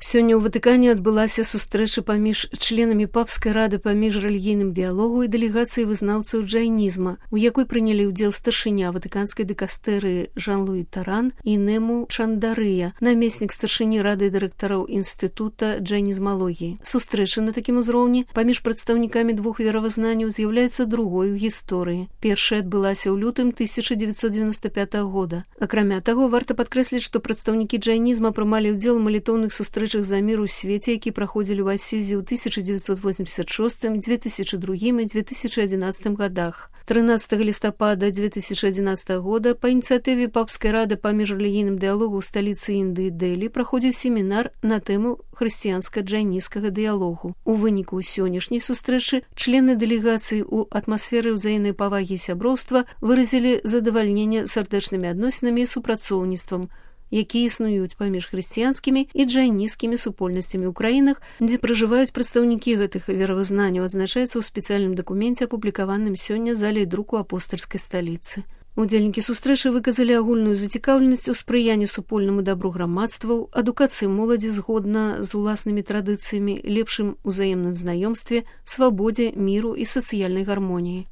Сёння ў Ватыкане адбылася сустрэча паміж членамі папскай рады па міжрэлігійным дыялогу і дэлегацыяй вызнаўцаў джайнізма, у якой прынялі ўдзел старшыня ватыканскай дыкастэрыі Жан-Луі Таран і Нему Чандарыя, намеснік старшыні рады дырэктараў інстытута джайнізмалогіі. Сустрэча на такім узроўні паміж прадстаўнікамі двух веравызнанняў з'яўляецца другой у гісторыі. Першая адбылася ў лютым 1995 года. Акрамя таго, варта падкрэсліць, што прадстаўнікі джайнізма прымалі ўдзел у малітоўных сустрэчах за мір у свеце, які праходзілі ў Асізе ў 1986, 2002 і 2011 годах. 13 лістапада 2011 года па ініцыятыве папскай рады па міжрэлігійным дыялогу ў сталіцы Індыі Дэлі праходзіў семінар на тэму хрысціянска-джайнісцкага дыялогу. У выніку сённяшняй сустрэчы члены дэлегацыі ў атмасферы ўзаемнай павагі і сяброўства выразілі задавальненне сардэчнымі адносінамі і супрацоўніцтвам, якія існуюць паміж хрысціянскімі і джайнісцкімі супольнасцямі ў краінах, дзе пражываюць прадстаўнікі гэтых веравызнанняў, адзначаецца ў спецыяльным дакуменце, апублікаваным сёння залай друку апостальскай сталіцы. Удзельнікі сустрэчы выказалі агульную зацікаўленасць у спрыянні супольнаму дабру грамадстваў, адукацыі моладзі згодна з уласнымі традыцыямі, лепшым узаемным знаёмстве, свабодзе, міру і сацыяльнай гармоніі.